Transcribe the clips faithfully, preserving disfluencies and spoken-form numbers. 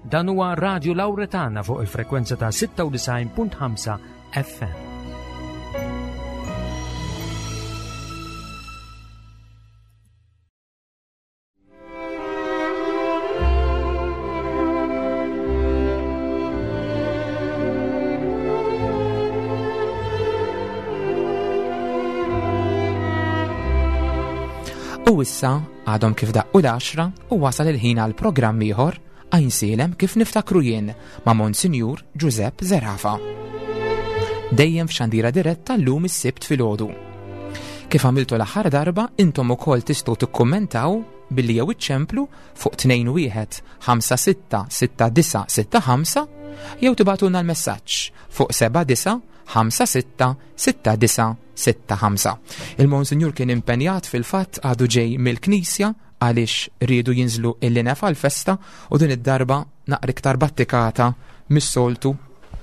Dan huwa Radio Lauretana fuq il-frekwenza ta' sitta u disgħin punt ħamsa F M. U issa għadhom kif daqqu l-għaxra u wasal il-ħin għal programm ieħor, Għajnsielem kif niftakru jien, ma' Monsinjur Giuseppe Zerafa. Dejjem f'xandira diretta llum is-Sibt filgħodu. Kif għamiltu l-aħħar darba, intom ukoll tistgħu tikkummentaw billi jew iċċemplu fuq tnejn wieħed ħamsa sitta sitta disgħa sitta ħamsa jew tibagħtulna l-messaġġ fuq seba' disgħa ħamsa sitta sitta disgħa sitta ħamsa. Il-Monsinjur kien impenjat, fil-fatt għadu ġej mill-Knisja għaliex riedu jinżlu il-linef għal-festa u din id-darba naqra iktar battikata mis-soltu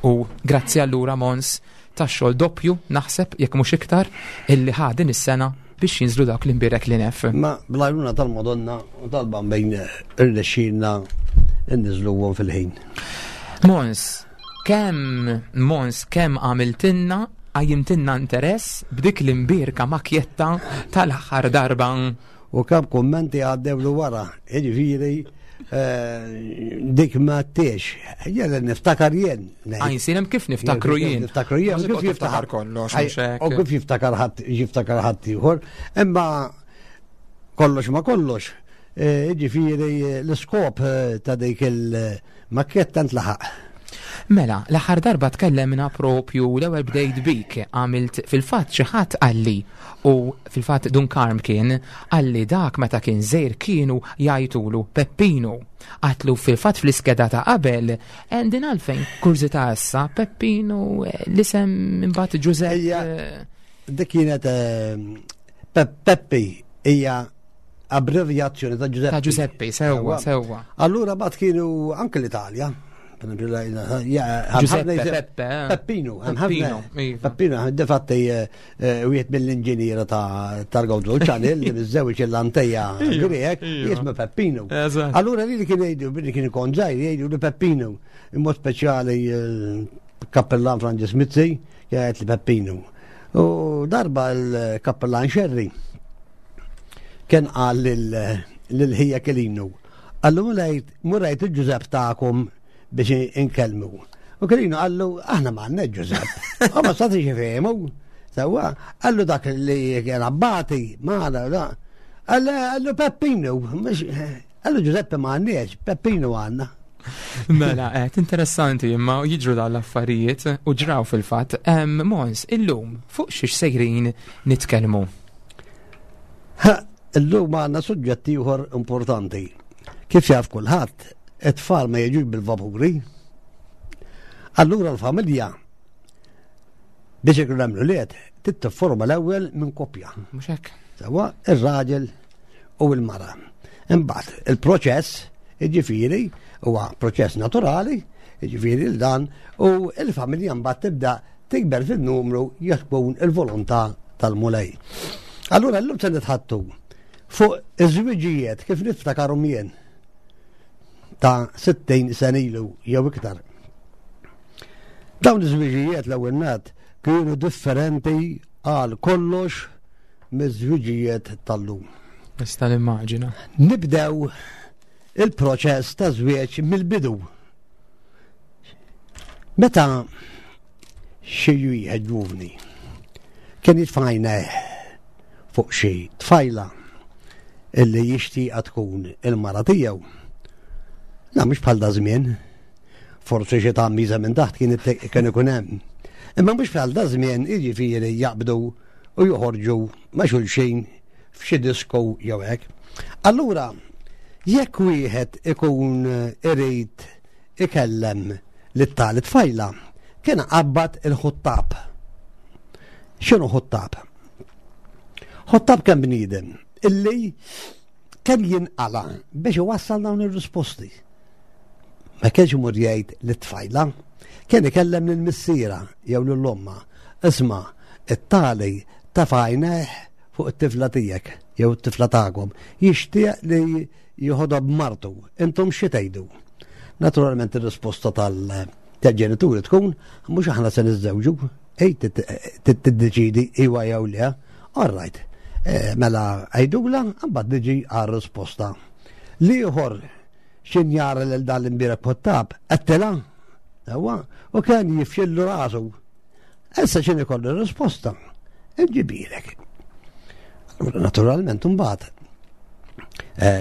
u grazzi allura, Mons, tax-xogħol doppju, naħseb, jekk mhux iktar, illi ħa din is-sena biex jinżlu dak l-imbirek linef. Ma bl-għajnuna tal-Madonna u tal-Bambin irnexxielna nniżżluhom fil-ħin. Mons, kemm Mons kemm għamiltilna, qajjimtilna interess b'dik l-imbirka makjetta tal-aħħar darba. U kemm kummenti għaddew wara, jiġifieri eh, dik ma t-tiex. Jena niftakar jien. Għajnsielem kif niftakru jien. Niftakru jien. Kif jiftakar kollox, mhux hekk. U kif jiftakar ħadd jiftakar ħadd ieħor. Imma kollox ma kollox. eh, Jiġifieri l-iskop eh, ta' dik il-makketta ntlaħaq. Mela, l-aħħar darba tkellemna propju l-ewwel bdejt bik, għamilt fil-fatt xi ħadd qalli u fil-fatt Dun Karm kien qalli dak meta kien żgħir kienu jgħajtulu Peppinu. Għatlu fil-fatt fl-iskeda ta' qabel, din għalfejn kurżità issa Peppinu, eh, l-isem imbagħad Giuseppe. Ejja. Dik kienet eh, Pe- Peppi hija abbrevjazzjoni ta' Giuseppe. Ta' Giuseppe, sewwa, sewwa. Allura bat kienu anke l-Italja. Per esempio, la- ja, Giuseppe, ħafna- Peppe, eh. Peppino, hemm Peppino, ħafna- iva. Peppino, difatti wieħed mill-inġiniera ta' tal-Gozo Channel li miżżewġ il-Anteja Iva, Grek, iva. jismu Peppino. Eżatt. Allura li li kien jgħidu, billi kien ikun żgħir, jgħidu li Peppino. In mod speċjali eh, kappellan Franġis Mizzi jgħid li Peppino. U darba l-kappellan Xerri kien qal lil ħija Kelinu. Qallu mur għid il-Ġużepp tagħkom biex inkellmu. U Kelinu qallu aħna ma għandna Ġużepp. U ma stati fehmu. Sewwa, qallu dak li kien abbati, ma għana, da. Qallu Peppinu, mhux qallu Ġużeppe ma għandniex, Peppinu għandna. Mela, qed interessanti imma jiġru dawn l-affarijiet u ġraw fil-fatt. Em, Mons, illum fuq xiex sejrin nitkellmu? Ha, illum għandna suġġett ieħor importanti. Kif jaf kulħadd, it-tfal ma jiġux bil-vapuri. Allura l-familja biex ikun hemm l-ulied titforma l-ewwel minn koppja. Mhux hekk? Sewwa, ir-raġel u l-mara. Imbagħad il-proċess, jiġifieri, huwa proċess naturali, jiġifieri l dan u l-familja mbagħad tibda tikber fil-numru jekk tkun il-volontà tal-Mulej. Allura llum se nitħaddtu fuq iż-żwiġijiet kif niftakarhom jien ta' sittin sena ilu jew iktar. Dawn iż-żwiġijiet l-ewwel nett kienu differenti għal kollox miż-żwiġijiet tal-lum. Nista' nimmaġina. Nibdew il-proċess ta' żwieġ mill-bidu. Meta xi wieħed ġuvni kien jitfa' għajnejh fuq xi tfajla illi jixtieqha tkun il-mara tiegħu. La mhux bħal da żmien, forsi xi tgħammiża minn taħt kien kien ikun hemm. Imma mhux bħal da żmien, jiġifieri jaqbdu u joħorġu ma' xulxin f'xi disko jew hekk. Allura, jekk wieħed ikun irid ikellem lit-tali tfajla, kien qabbad il-ħuttab. X'inhu ħuttab? Ħuttab kien bniedem illi kien jinqala biex iwassal dawn ir-risposti. Ma kienx imur jgħid lit-tfajla, kien ikellem lil missiera jew lil omma. Isma', it-tali tefa' għajnejh fuq it-tifla tiegħek jew it-tifla tagħkom. Jixtieq li joħodha b'martu. Intom xi tgħidu? Naturalment ir-risposta tal-ġenituri tkun mhux aħna se niżżewġu, ej tiddeċidi iwa jew le. All right. Mela għajdula, mbagħad niġi għar-risposta. L-ieħor x'in jara lil dan l-imbierek ħottab, qedtilha. Ewa, u kien jifxillu rasu. Issa x'in ikollu r-risposta? Inġibilek. Naturalment imbagħad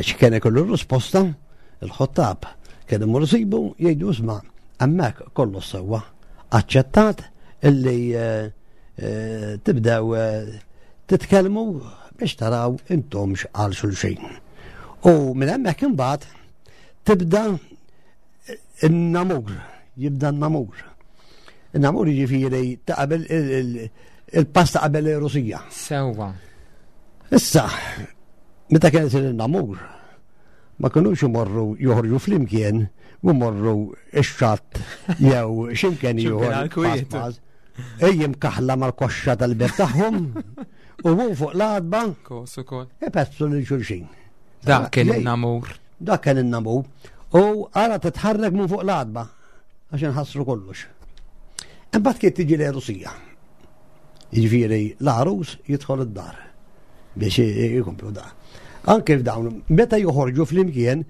x'kien ikollu r-risposta, il-ħottab kien imur isibu jgħidu isma' hemmhekk kollu sewwa aċċettat illi tibdew titkellmu biex taraw intomx għal xulxin. U minn hemmhekk imbagħad tibda n-namur, jibda n-namur. In-namur jiġifieri ta' qabel il-pass ta' qabel ir-Rusija. Sewwa. Issa, meta kien isir in-namur, ma kinux imorru joħorġu flimkien u morru ix-xatt jew x'imkien ieħor. Ejjem kaħla mal-koxxa tal-beb tagħhom u hu fuq l-għadba. Kos ukoll. Ipezzu lil xulxin. Dak kien in-namur. Dak kien in-namur. U ara titħarrek minn fuq l-għadba għax inħassru kollox. Imbagħad kien tiġi l-Rusija. Jiġifieri l-għarus jidħol id-dar biex ikomplu da. Anke f'dawn, meta joħorġu flimkien,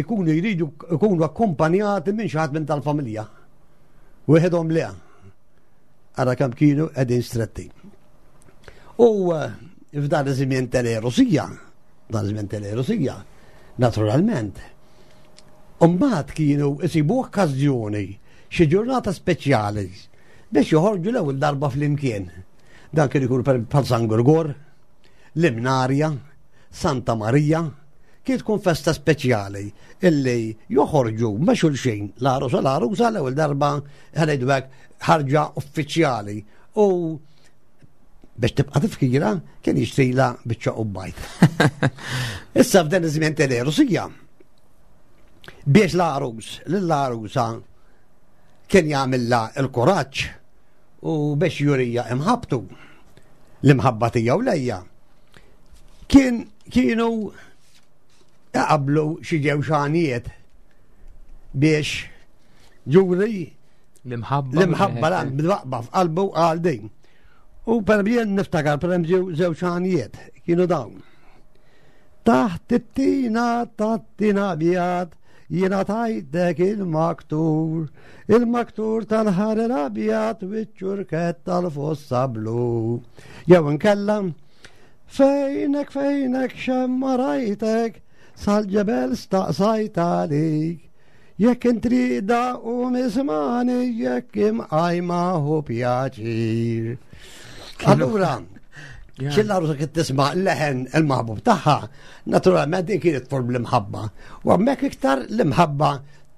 ikunu jridu ikunu akkompanjati minn xi ħadd minn tal-familja. Wieħedhom le. Ara kemm kienu qegħdin stretti. U f'dan iż-żmien tal-Erosija, dan iż-żmien tal-Erosija, naturalment, imbagħad kienu isibu okkażjoni xi ġurnata speċjali biex joħorġu l-ewwel darba flimkien. Dan kien ikun bħal San Gurgor, l-Imnarja, Santa Marija, kien tkun festa speċjali illi joħorġu ma' xulxin l-għarus u l-għarusa l-ewwel darba ħanejdu hekk ħarġa uffiċjali u biex tibqa' tifkira kien jixtrila biċċa qubbajt. Issa f'dan iż-żmien tal-Erosija biex l-għarus lill-għarusa kien jagħmilha l-kuraġġ u biex jurija imħabtu l-imħabba tiegħu lejja. Kien kienu jaqablu xi ġewxanijiet biex juri l-imħabba l-imħabba lan bil-waqba f'qalbu għal din. U per jien niftakar per eżempju żewġ għanijiet kienu dawn. Taħt it-tina tat-tina abjad jiena tajtek il-maktur, il-maktur tal-ħar l-abjad u ċ-ċurkett tal-fossa blu. Jew inkella fejnek fejnek xemma rajtek sal-ġebel staqsajt għalik. Jekk intrida u mismani jekk imqajma hu pjaċir. Allura, xil-għarusa kien tisma' leħen il-maħbub tagħha, naturalment din kienet tfor bl-imħabba. U hemmhekk iktar l-imħabba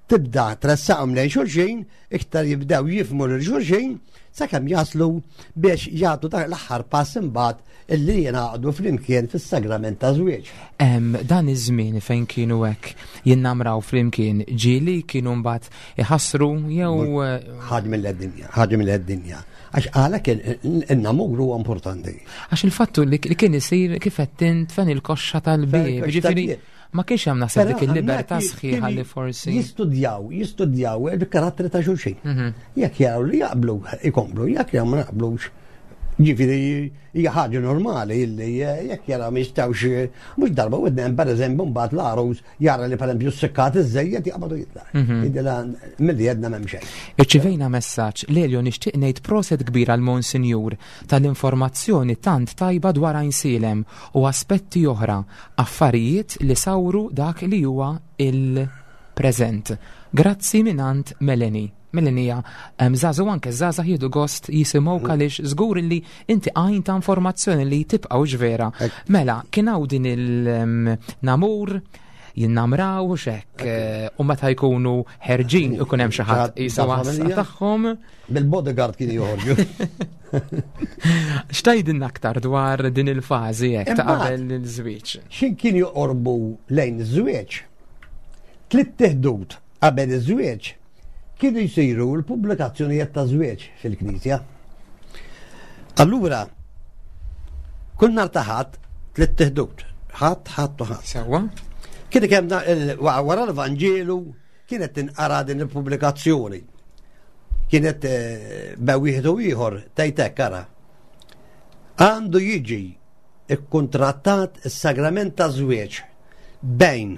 tibda tressaqhom lejn xulxin, iktar jibdew jifhmu lil xulxin, sakemm jaslu biex jagħtu dak l-aħħar pass imbagħad illi jingħaqdu flimkien fis-sagrament ta' żwieġ. Dan iż-żmien fejn kienu hekk jinnamraw flimkien, ġieli kienu mbagħad iħassru jew ħaġa mill-dinja, ħaġa mill-dinja. Għax għalhekk in-namur huwa importanti. Għax il-fattu li kien isir kif qed int fejn il-koxxa tal-bieb, ġifieri ma kienx hemm naħseb dik il-libertà sħiħa li forsi jistudjaw, jistudjaw il-karattri ta' xulxin. Jekk jaraw li jaqblu ikomplu, jekk jaraw ma jaqblux. Ġifieri hija ħaġa normali illi jekk jaraw ma jistgħux mhux darba u dnem pereżempju mbagħad l-għarus jara li pereżempju s-sikkat iżejjed jaqbadu jitlaq. Jidilha milli għedna m'hemm xejn. Irċivejna messaġġ Lelio nixtieq ngħid proset kbir għal Monsinjur tal-informazzjoni tant tajba dwar Għajnsielem u aspetti oħra, affarijiet li sawru dak li huwa il-preżent. Grazzi mingħand Melanie. Melanie, żagħżu anke żgħażagħ jieħdu gost jisimgħu għaliex żgur li inti għajn ta' informazzjoni li tibqgħu vera. Mela, kien hawn din il-namur jinnamraw x'hekk u meta jkunu ħerġin ikun hemm xi ħadd qisu għassa tagħhom. Bil-bodyguard kien joħorġu. X'tgħidilna aktar dwar din il-fażi hekk ta' qabel il-żwieġ? X'in kien joqorbu lejn iż-żwieġ? Tliet teħdud qabel iż-żwieġ kienu jsiru l-pubblikazzjonijiet ta' żwieġ fil-Knisja. Allura, kull nhar ta' Ħadd tliet teħdud, ħadd, ħadd u ħadd. Sewwa. Kien kemm wara l-Vanġelu kienet tinqara din il-pubblikazzjoni. Kienet bejn wieħed u ieħor tgħid hekk, ara. Għandu jiġi ikkontrattat is-sagrament ta' żwieġ bejn,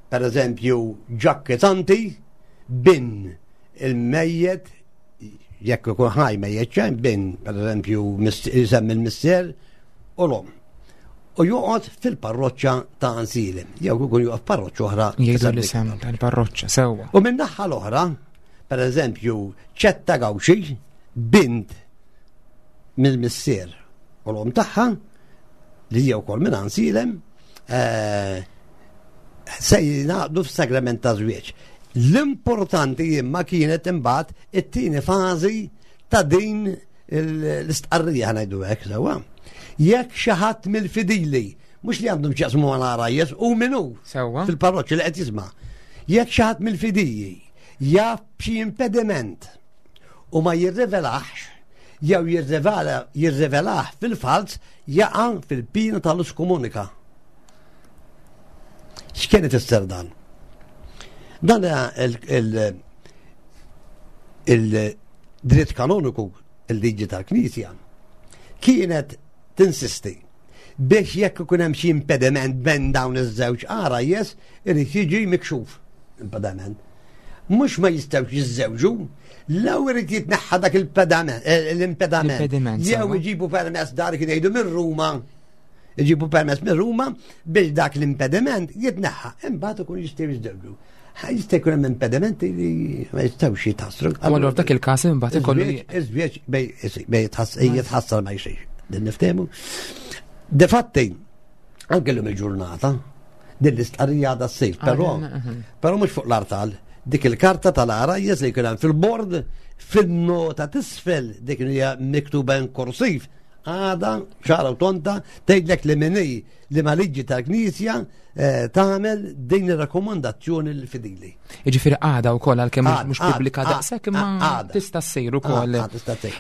per eżempju, Ġakki Tanti bin il-mejjet, jekk ikun ħaj mejjet xejn, bin, per eżempju, jisemmi l-missier u l-om. U joqgħod fil-parroċċa ta' Għajnsielem, jew ikun joqgħod f'parroċċa oħra. Jgħidu l-isem tal-parroċċa, sewwa. U minn naħa l-oħra, per eżempju, Ċetta Gawxi, bint mill-missier u l-om tagħha, li hija wkoll minn Għajnsielem, se jingħaqdu f'sagrament ta' żwieġ. L-importanti imma kienet imbagħad it-tieni fażi ta' din l-istqarrija, ngħidu hekk sewwa. Jekk xi ħadd mill-fidili, mhux li għandhom x'jaqsmu mal-għarajjes, u minnu fil-parroċċa li qed jisma'. Jekk xi ħadd mill-fidili jaf b'xi impediment u ma jirrivelax, jew jirrivelah fil-falz, jaqa' fil-pina tal-iskomunika. X'kien ifisser dan? Dan il-dritt kanoniku, il-liġi tal-Knisja, kienet tinsisti biex jekk ikun hemm xi impediment bejn dawn iż-żewġ għarajjes, irid jiġi mikxuf impediment. Mhux ma jistgħux jiżżewġu, law irid jitneħħa dak l-impediment. Jew iġibu permess dar kien jgħidu minn Ruma, iġibu permess minn Ruma biex dak l-impediment jitneħħa. Imbagħad ikun jistgħu jiżżewġu. Jista' jkun hemm impedimenti li ma jistgħux jitħassru. Allura f'dak il-każ imbagħad ikollu iż-żwieġ bej jitħassar ma jsirx. Din niftehmu. Defatti, anke llum il-ġurnata, din l-istqarrija għadha ssir, però però mhux fuq l-artal, dik il-karta tal-għarajjes li jkun hemm fil-bord, fin-nota tisfel dik li hija miktuba in korsiv, għada ċara u tonta tgħidlek li min hi li ma liġi tal-Knisja tagħmel din ir-rakkomandazzjoni lill-fidili. Jiġifieri għada wkoll għalkemm mhux pubblika daqshekk imma tista' ssir ukoll.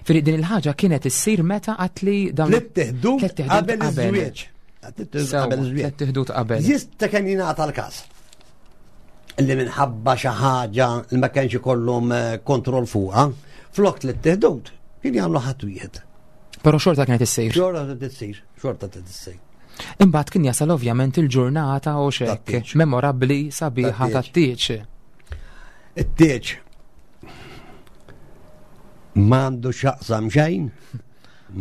Fieri din il-ħaġa kienet issir meta qatt li dawn tliet qabel iż-żwieġ. Tliet qabel. Jista' kien jingħata l-każ li minħabba xi ħaġa li ma kienx ikollhom kontroll fuqha, flok tliet teħdud kien jagħmlu ħadd wieħed. Però xorta kienet issir. Xorta kienet issir, xorta kienet issir. Imbagħad kien jasal ovvjament il-ġurnata u xek memorabbli sabiħa tat-tieġ. It-tieġ m'għandu x'jaqsam xejn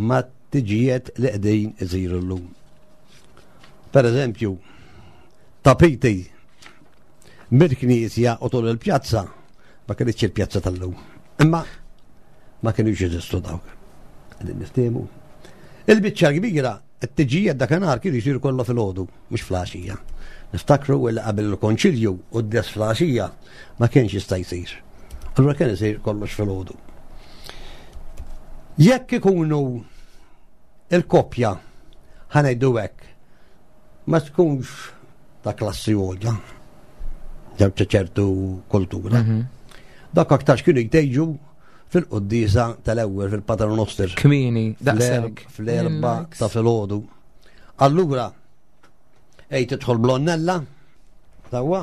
ma' tiġijiet li qegħdin isiru llum. Per eżempju, tapiti mill-knisja u tul il-pjazza, ma kienx il-pjazza tal-lum. Imma ma kienux jeżistu dawk. Qegħdin niftehmu. Il-biċċa kbira, it-tiġijiet dakinhar kienu jsiru kollha filgħodu, mhux flaxija. Niftakru li qabel il-konċilju u d-des flaxija ma kienx jista' jsir. Allura kien isir kollox filgħodu. Jekk ikunu il-koppja, ħa ngħidu hekk, ma tkunx ta' klassi għolja, jew ta' ċertu kultura. Dak aktarx kienu jtejġu fil-quddiesa tal-ewwel fil-Paternoster. Kmieni, daqshekk. Fl-erba ta' filgħodu. Allura, ej tidħol blonnella, sewwa,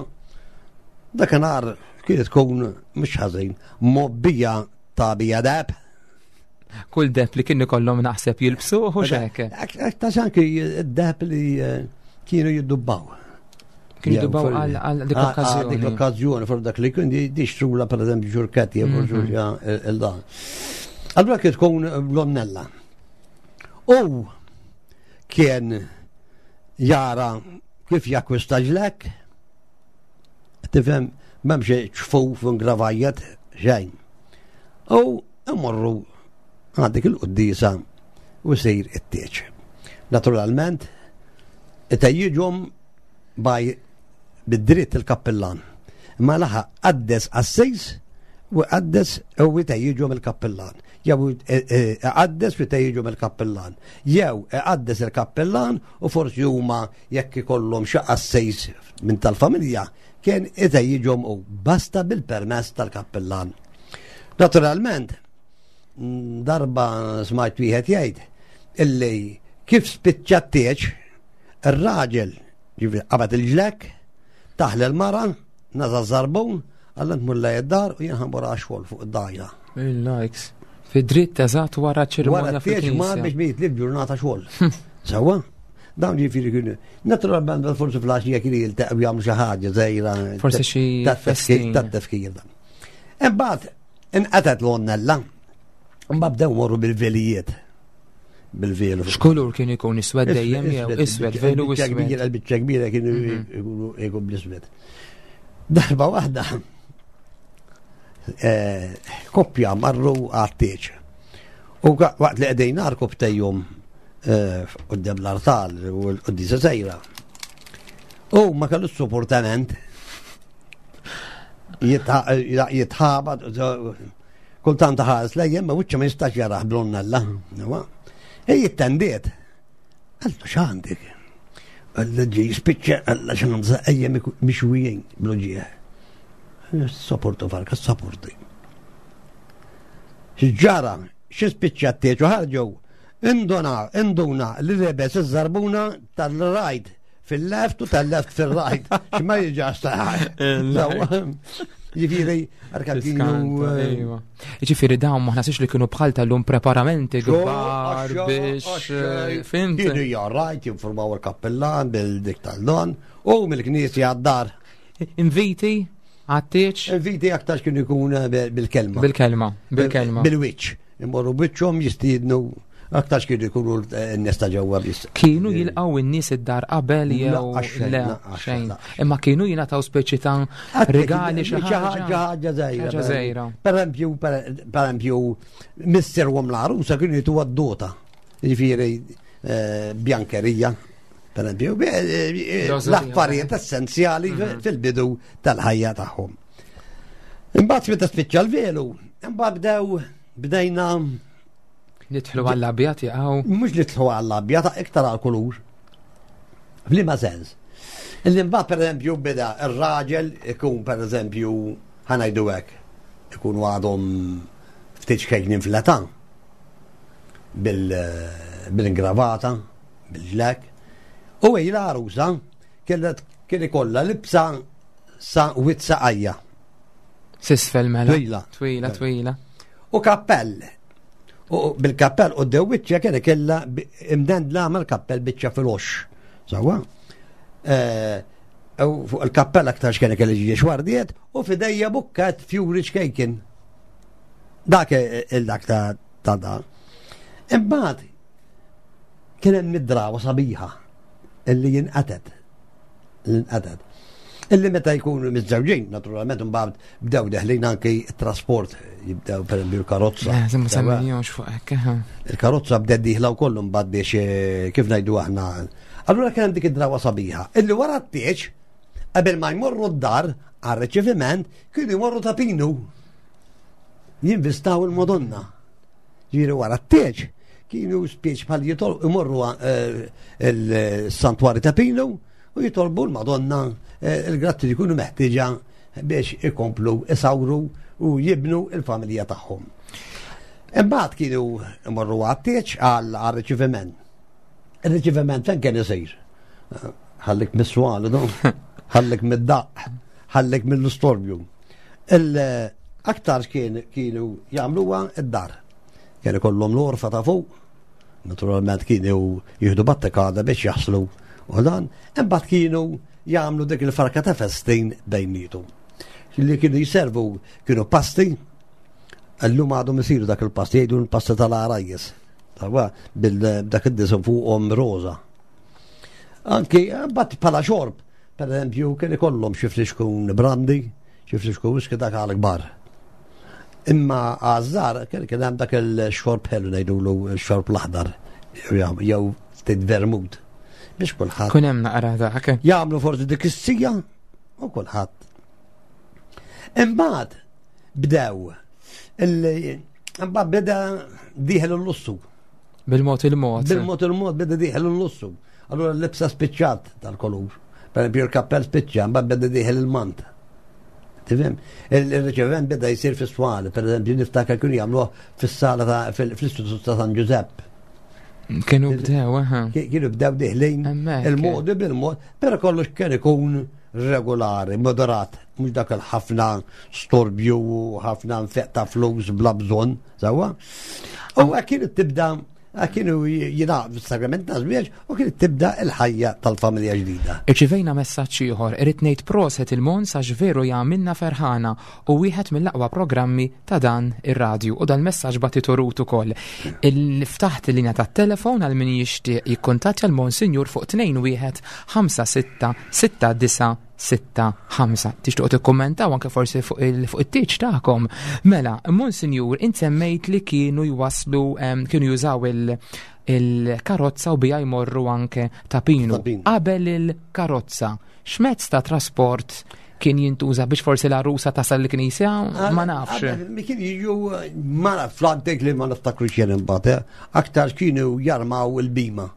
dakinhar kienet tkun mhux ħażin, mobbija ta' bija deb. Kull deb li kien ikollhom naħseb jilbsu u xek. Ta' anki d-deb li kienu jiddubbaw. Kienu jiddubbaw għal dik l-okkażjoni. Dik l-okkażjoni, for dak li kien dixtrula per eżempju ġurketti jew ġurja il-dan. Allura kien tkun blonnella. U kien jara kif jakkwista ġlek, tifhem m'hemmx ċfuf u ngravajjet xejn. U imorru għal dik il-quddiesa u sejr it-tieġ. Naturalment, it-tejjiġhom baj bid-dritt il-kappillan. Ma laħa qaddes qassis u qaddes u jtejjiġhom il-kappillan. Jew qaddes u jtejjiġhom il-kappillan. Jew qaddes il-kappillan u forsi huma jekk ikollhom xi qassis minn tal-familja kien itejjiġhom u basta bil-permess tal-kappillan. Naturalment, darba smajt wieħed jgħid illi kif spiċċa t-tieġ, ir-raġel ġifieri qabad il-ġlek, taħl il-mara, naża żarbun, Alla tmur lejn id-dar u jien ħa mmur għax-xogħol fuq id-dajja. Il-likes. Fi dritt eżatt wara ċerimonja Wara t-tieġ mar fil-knisja. biex ma jitlif ġurnata xogħol. Sewwa? Dawn ġifieri kienu. Naturalment forsi fl-għaxija kienu jiltaqgħu jagħmlu xi ħaġa żgħira. Forsi xi festin. Tat-tefkir dan. Imbagħad inqatgħet l-għonnella. Imbagħad bdew morru bil-velijiet. Bil-velu. X'kulur kien ikun, iswed dejjem jew iswed, velu Il-biċċa iswed? kbira, il-biċċa kbira kienu ikunu ikun bl-iswed. Darba waħda eh, koppja marru għat-tieġ. U ka- waqt li qegħdin għarkopptejhom quddiem l-artal u l-quddiesa sejra. U ma kellu supportament jitħabat, kultant ħares lejjem, ma wiċċa ma jistax jarah bl-għonnella. E jittendiet. Għallu x'għandek? Għalla ġi spiċċa, għalla x'għandza ejja mixwijin bl-ġieħ. Sopportu farka, sopporti. X'ġara, xi spiċċa t-tieġ u ħarġu, induna, induna li lebes iż-żarbuna tal-right fil-left u tal-left fil-right. X'ma jiġax taħ. Ġifieri, arka kienu. Iva. Ġifieri dawn ma ħasix li kienu bħal tal-lum preparamenti kbar biex eh, fhimt. Kienu jarrajt, jinformaw il-kappellan bil-dik tal-don u mill-knisja għad-dar. Inviti għat-tieġ? Inviti aktar kienu jkun bil-kelma. Bil-kelma, bil-kelma. Bil-wiċċ. Imorru biċċhom jistiednu aktar kienu jkunu n-nies ta' ġewwa biss. Kienu jilqgħu n-nies id-dar qabel jew Le, le, xejn. Imma kienu jingħataw speċi ta' regali, xi ħaġa. Ħaġa żgħira. Ħaġa żgħira. Per eżempju, per eżempju, missier u l-għarusa kienu jitu għad-dota. Ġifieri eh, bjankerija. Per eżempju, eh, l-affarijiet essenzjali mhm. fil-bidu tal-ħajja tagħhom. Imbagħad meta spiċċa l-velu, imbagħad bdew bdejna Nidħlu għall-abjad jaqgħu. Mhux nidħlu għall-abjad, iktar għall-kulur. F'liema sens. Illi mbagħad pereżempju beda ir-raġel ikun, pereżempju, ħa ngħidu hekk, ikunu għadhom ftit xkejknin fl-età bil-ingravata, bil-ġlek. U hi l-għarusa kien ikollha libsa sa wit saqajja. S'isfel mela. Twila. Twila, twila. U kappell. U bil-kappell u d-dewwiċċa kien kella imdendla mal-kappell biċċa fil-ox. Sewwa? Eh, u fuq il-kappell aktar x'kien kelli ġie xwardiet u f'idejha bukket fjuri ċkejkin. Dak il-dak ta' ta' da. Imbagħad kien hemm id-drawa sabiħa illi jinqatet. L-inqatet. Illi meta jkunu miżżewġin, naturalment mbagħad bdew deħlin anki trasport, jibdew per esempio l-karozza. Eh, ma semmejniex fuq hekk. eh. Il-karozza bdew dieħla wkoll mbagħad biex eh, kif ngħidu aħna. Allura kien hemm dik id-drawa sabiħa. Illi wara t-tieġ, qabel ma jmorru d-dar għar-riċeviment, kienu jmorru Ta' Pinu. Jinvistaw il-Madonna. Ġifieri wara t-tieġ, kienu spiex bħal jitol imorru eh, il-santwari Ta' Pinu u jitolbu l-Madonna eh, il-grazzi li jkunu meħtieġa biex ikomplu isawru u jibnu il-familja tagħhom. Imbagħad kienu imorru għat-tieġ għal riċeviment. Il-riċeviment fejn kien isir? Ħallik mis-swali, no? Ħallik mid-daq, ħallik mill-istorbju. Il-aktar kien kienu jagħmluha id-dar. Kien ikollhom l-għorfa ta' fuq, naturalment kienu jieħdu battikada biex jaħslu u dan, imbagħad kienu jagħmlu dik il-farka ta' festin bejnietu. Li kienu jiservu kienu pasti, illum għadhom isiru dak il-pasti, jgħidu l-pasta tal-għarajjes. Tawa, bil-dak id-disinn fuqhom roza. Anki, mbagħad bħala xorb, per eżempju, kien ikollhom xi flixkun brandy, xi flixkun whisky, dak għal kbar. Imma għaż-żgħar kien kien hemm dak il-xorb ħelu, ngħidulu x-xorb l-aħdar jew ftit vermut. Biex kulħadd Kun hemm naqra dak. jagħmlu forsi dik is-sija u kulħadd. Imbagħad bdew il- imbagħad beda dieħel il-lussu. Bil-mod il-mod. Bil-mod il-mod beda dieħel il-lussu. Allura l-libsa spiċċat tal-kolur. Per esempio il-kappell spiċċa, mbagħad beda dieħel il-mant. Tifhem? Il-riċevent beda jsir fis-swali, per eżempju niftakar kienu jagħmluh fis-sala ta' fil-Istitut ta' San Giuseppe. Kienu bdew, aha. Kienu bdew diħlin Hemmhekk. il-modi bil-mod, però kollox kien ikun regolari, moderat, mhux dak il-ħafna storbju u ħafna nfeq ta' flus bla bżonn, sewwa. U kienet tibda kienu jingħaqdu fis-sagrament taż-żwieġ u kienet tibda l-ħajja tal-familja ġdida. Irċivejna messaġġ ieħor, irrid ngħid proset il-Mons għax veru jagħmilna ferħana u wieħed mill-aqwa programmi ta' dan ir-radju, u dan messaġġ bagħtitu Rut ukoll. Ftaħt il-linja tat-telefon għal min jixtieq jikkuntattja l-Monsinjur fuq tnejn wieħed ħamsa sitta sitta disa' sitta ħamsa. Tixtuq tikkummentaw anke forsi fuq il-, fuq it-tieġ tagħkom. Mela, Monsinjur, int semmejt li kienu jwaslu, em, kienu jużaw il-, il-karozza u bija jmorru anke ta' Pinu. Ta' Pinu. Qabel il-karozza, x'mezz ta' trasport kien jintuża biex forsi l-għarusa tasal l-knisja? Ma nafx. Qabel, mi kien jiġu, ma nafx, fl-antik li ma niftakru xejn imbagħad, eh, aktar kienu jarmaw il-bima.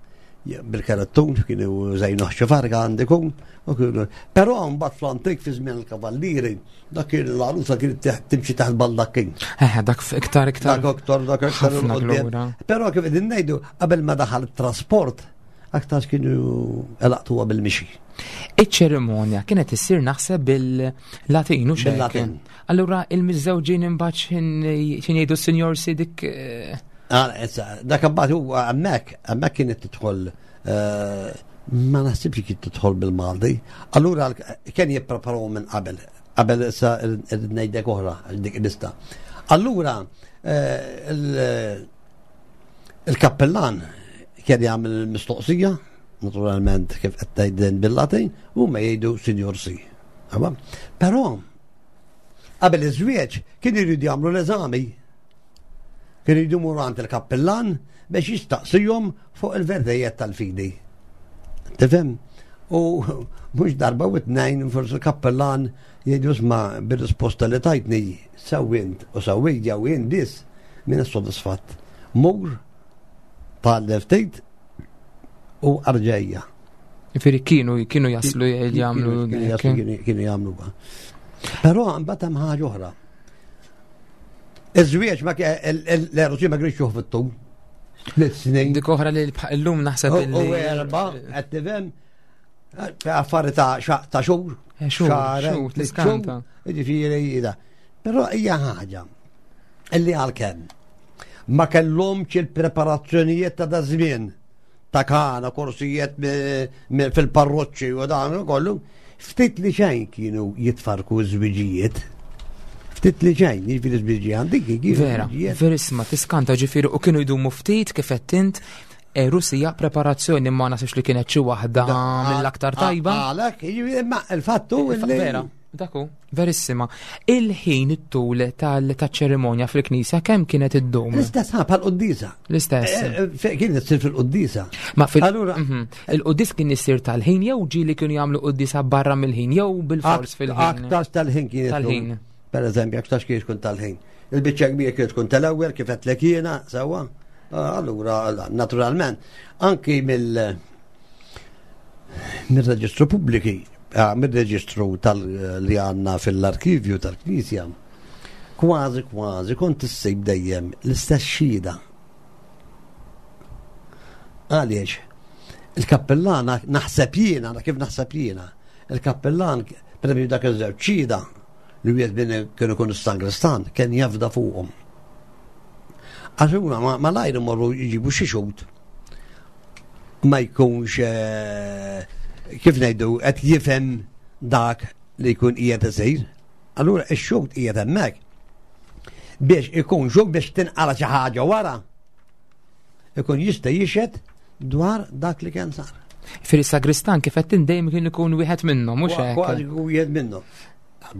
Bil-karattun, kienu zejnu xi farga għandikum, u kienu. Però mbagħad fl-antik fi żmien il-kavallieri, dak kien l-għarusa kienet teħ-, timxi taħt baldakkin. Eh, dak f-, iktar, iktar. Dak iktar, dak iktar Ħafna il-qudiem. glura. Però kif qegħdin ngħidu, qabel ma daħal it-trasport, aktar kienu elaqtuha bil-mixi. Iċ-ċerimonja kienet issir naħseb bil-Latin, u x'hekk? Bil-Latin. Allura il-miżżewġin imbagħad x'in x'in jgħidu s-Sinjor Sidik, eh, Ah, issa, dak imbagħad huwa hemmhekk, hemmhekk kienet tidħol, eh, ma naħsibx kien tidħol bil-Malti. Allura l-, kien jippreparaw minn qabel, qabel issa irrid ngħidlek oħra dik il-lista. Allura, eh, il-, il-kappellan kien jagħmel mistoqsija, naturalment kif qed tgħid bil-Latin, u ma jgħidu Sinjor Si. Aba? Però qabel iż-żwieġ kien iridu jagħmlu l-eżami. Kien iridu jmorru għand il-kappellan biex jistaqsihom fuq il-verdejiet tal-fidi. Tifhem? U mhux darba u tnejn forsi il-kappellan jgħidu isma' bir-risposta li tajtni sewwint u sewwejt jew jien biss min sodisfatt. Mur tgħallem ftit u arġejja. Jiġifieri kienu, kienu jaslu Kienu jagħmlu kienu jaslu, dik. kienu, kienu jagħmlu ba. Però mbagħad hemm ħaġa oħra. Iż-żwieġ ma ke-, il-, il-, l-eruġi ma kienx juħu fit-tul. Tliet snin. Dik oħra li bħal illum naħseb U-, illi U erba', qed tifhem? Affari ta' xa-, ta' xhur. Eh, xhur, Xahar, xhur, tliet tiskanta. xhur, jiġifieri da. Però hija ħaġa illi għalkemm ma kellhomx il-preparazzjonijiet ta' da żmien ta' kana, korsijiet mi-, mi-, fil-parroċċi u dan u kollu, ftit li xejn kienu jitfarku ż-żwiġijiet. Ftit li xejn, jiġifieri żwiġi għandik, jiġifieri Vera, żwiġijiet. verissima, tiskanta ġifieri u kienu jdumu ftit kif qed int, e, Russija preparazzjoni ma nasibx li kienet xi waħda Da, mill-aktar a-, tajba. Għalhekk, jiġifieri, ma il-fattu Il-fa- illi Vera, daku, verissima. Il-ħin it-tul tal-, taċ-ċerimonja fil-knisja kemm kienet iddum? L-istess, ha, bħal-quddisa. L-istess. Eh, eh, fe-, kienet issir fil-quddisa. Ma fil- Allura Mhm. Il-quddis kien isir tal-ħin jew ġieli kienu jagħmlu quddisa barra mill-ħin jew bil-fors Ak- fil-ħin? Aktar tal-ħin kienet Tal-ħin. tkun. Per eżempju, aktar kienet tkun tal-ħin. Il-biċċa kbira kienet tkun tal-ewwel kif qed lek jiena, sewwa. Ah, allura, naturalment, anki mill-, mill-reġistru pubbliki, ah, mill-reġistru tal-, li għandna fil-arkivju tal-Knisja, kważi kważi kont issib dejjem l-istess xhieda. Għaliex? Il-kappellan, naħseb jiena, kif naħseb jiena, il-kappellan, per eżempju, dak iż-żewġ xhieda li wieħed minn kienu jkunu sangristan, kien jafda fuqhom. Għax huma ma-, ma lajru morru jġibu xi xhud. Ma jkunx, eh, kif ngħidu, qed jifhem dak li jkun qiegħed isir. Allura ix-xhud qiegħed hemmhekk biex ikun xhud biex tinqala xi ħaġa wara. Ikun jista' jixhed dwar dak li kien sar. Fir sagristan kif qed dejjem kien ikun wieħed minnhom, mhux hekk? Kważi jkun wieħed minnhom.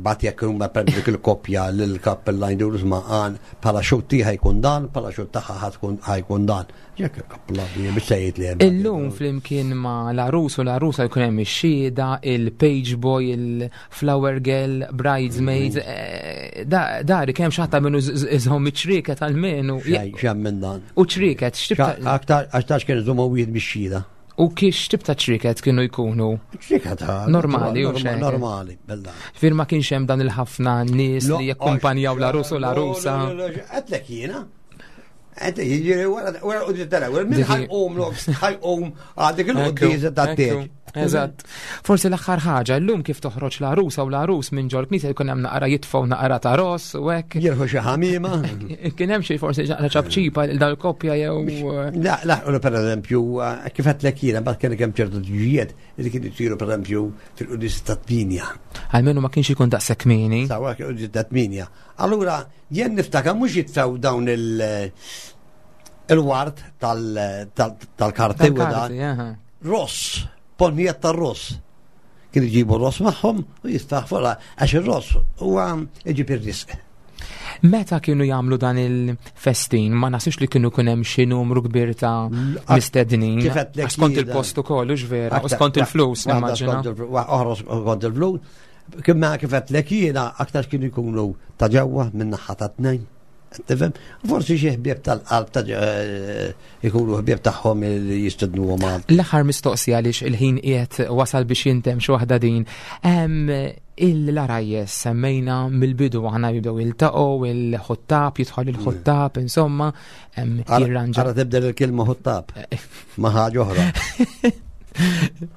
Bat jekk huma per dik il-koppja lil kappella jdur isma' għan bħala xhud tiegħi jkun dan, bħala xhud tagħha ħa tkun ħajkun dan. Jekk il-kappella hija biex sejjed li hemm. Illum flimkien ma' l-għarus u l-għarusa jkun hemm ix-xhieda, il-page boy, il-flower girl, bridesmaids, Mm. eh, da-, dari kemm xi ħadd minnu z-, z-, iżhom iċ-ċrieket għall-menu. Xejn, xejn minn dan. U ċrieket, x'tib ta' Xa-, aktar, għax tax kien iżommu wieħed bix-xhieda. U kiex tip ta' ċriket kienu jkunu? Ċriket, ha, Normali, u norma-, xejn. normali, bella. Fir ma kienx hemm dan il-ħafna nies Lo, li jakkumpanjaw għax, l-għarus u l-għarusa. lo, lo, lo, lo, għedlek jiena. Enti, jiġri wara wara l-quddiesa tal-ewwel, min Dik- ħa jqum ħa jqum għal dik il-quddiesa tat-tieġ. Eżatt. Forsi l-aħħar ħaġa, llum kif toħroġ l-għarusa u l-għarus minn ġol knisja jkun hemm naqra jitfgħu naqra ta' ross u hekk. Jirħu xi ħamima. Kien hemm xi forsi naqra ċapċipa lil dal-koppja jew La, la, u per eżempju, kif għedtlek jiena, mbagħad kien hemm ċertu tiġijiet li kienu jsiru per eżempju fil-quddiesa ta' tminja. Almenu ma kienx ikun daqshekk kmieni. Sewwa quddiesa ta' tminja. Allura, jien niftakar mhux jitfgħu dawn il- il-ward tal- tal- tal-karti u da. Tal-karti, aha. Ross, ponnijiet tar-ross. Kienu jġibu ross magħhom u jitfgħu għax ir-ross huwa iġib ir-risq. Meta kienu jagħmlu dan il-festin, ma naħsibx li kienu kun hemm xi numru kbir ta' mistednin. Kif għedtlek Għax skont jiena. il-post ukoll, hux vera, u skont il-flus, Waħda nimmaġina. skont il-flus, oħra skont il-flus. Imma kif għedtlek jiena aktar kienu jkunu ta' ġewwa minn naħa ta' tnejn. Tifhem? Forsi xi ħbieb tal-qalb ta' eh, ikunu ħbieb tagħhom li jistednuhom għal. L-aħħar mistoqsija għaliex il-ħin qiegħed wasal biex jintem xi waħda din. Em, Il-għarajjes semmejna mill-bidu aħna jibdew jiltaqgħu il-ħuttab, jidħol il-ħuttab, insomma, em, jirranġa Ara tibdel il-kelma ħuttab ma' ħaġa oħra.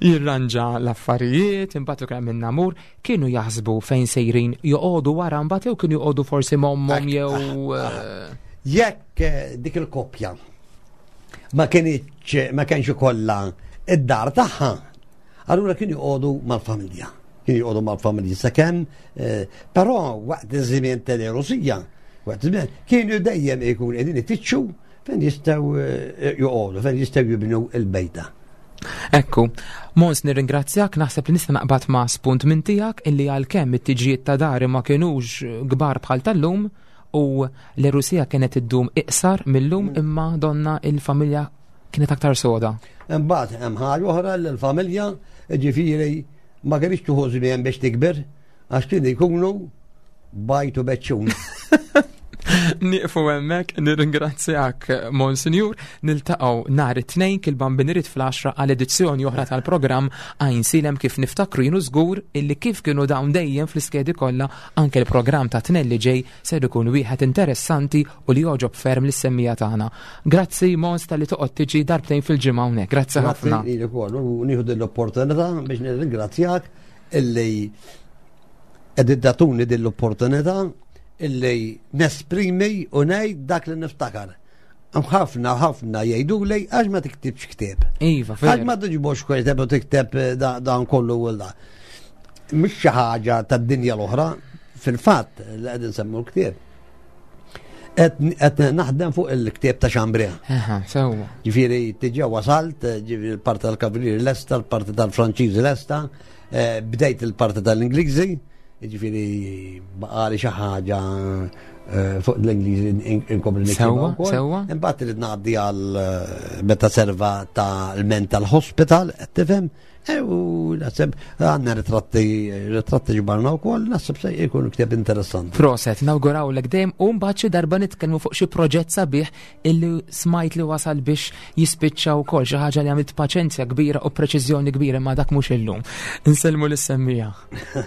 Jirranġa l-affarijiet, imbagħad ukoll minn namur, kienu jaħsbu fejn sejrin joqogħdu wara mbagħad jew kienu joqogħdu forsi m'ommhom Ak- jew eh, Jekk eh, dik il-koppja ma kienx ma kienx ikollha id-dar tagħha, allura kienu joqogħdu mal-familja. Kienu joqogħdu mal-familja sakemm, eh, però waqt iż-żmien tal-Rusija, waqt iż-żmien kienu dejjem ikun qegħdin ifittxu fejn jistgħu eh, joqogħdu, fejn jistgħu jibnu il-bejta. Ekku, Mons, nirringrazzjak, naħseb li nista' naqbad ma' spunt minn tiegħek illi għalkemm it-tiġijiet ta' dari ma kienux kbar bħal tal-lum u l-Rusija kienet iddum iqsar mill-lum, imma donna il-familja kienet aktar soda. Imbagħad hemm ħaġa oħra li l-familja ġifieri ma kienx tieħu żmien biex tikber għax kienu jkunu bajtu beċċun. Nieqfu hemmhekk, nirringrazzjak, Monsinjur, niltaqgħu nhar it-Tnejn kif il-Bambin irid fl-għaxra għal edizzjoni oħra tal-programm Għajnsielem. Kif niftakru jienu żgur illi kif kienu dawn dejjem fl-iskedi kollha, anke l-programm ta' Tnejn li ġej ser ikun wieħed interessanti u li jogħġob ferm lis-semmiegħa tagħna. Grazzi, Mons, talli toqgħod tiġi darbtejn fil-ġimgħa hawnhekk. Grazzi ħafna. Grazzi ukoll u nieħu din l-opportunità biex nirringrazzjak illi qed tagħtuni din l-opportunità illi nesprimi u ngħid dak li niftakar. Hemm ħafna ħafna jgħidu li għax ma tiktibx ktieb. Iva, Għax ma vera. tiġbux ktieb u tikteb eh, da- dan kollu u da. Mhux xi ħaġa tad-dinja l-oħra, fil-fatt li qegħdin nsemmu l-ktieb. Qed naħdem fuq il-ktieb ta' Chambray. Aha, sewwa. Ġifieri, diġà wasalt, ġifieri l-parti tal-Kavalieri lesta, l-parti tal-Franċiżi lesta, eh, bdejt il-parti tal-Ingliżi, ġifieri baqagħli xi ħaġa eh, fuq l-Ingliżi inkompli niktibha Sewwa, wkoll. sewwa. Imbagħad irid ngħaddi għal eh, meta serva ta' l-mental hospital, qed tifhem? E, u naħseb għandna ritratti, ritratti ġbarna wkoll, naħseb se jkun ktieb interessanti. Proset, nawgurawlek dejjem u mbagħad xi darba nitkellmu fuq xi proġett sabiħ illi smajt li wasal biex jispiċċa wkoll, xi ħaġa li għamilt paċenzja kbira u preċiżjoni kbira, ma dak mhux illum. Insellmu lis-semmiegħa.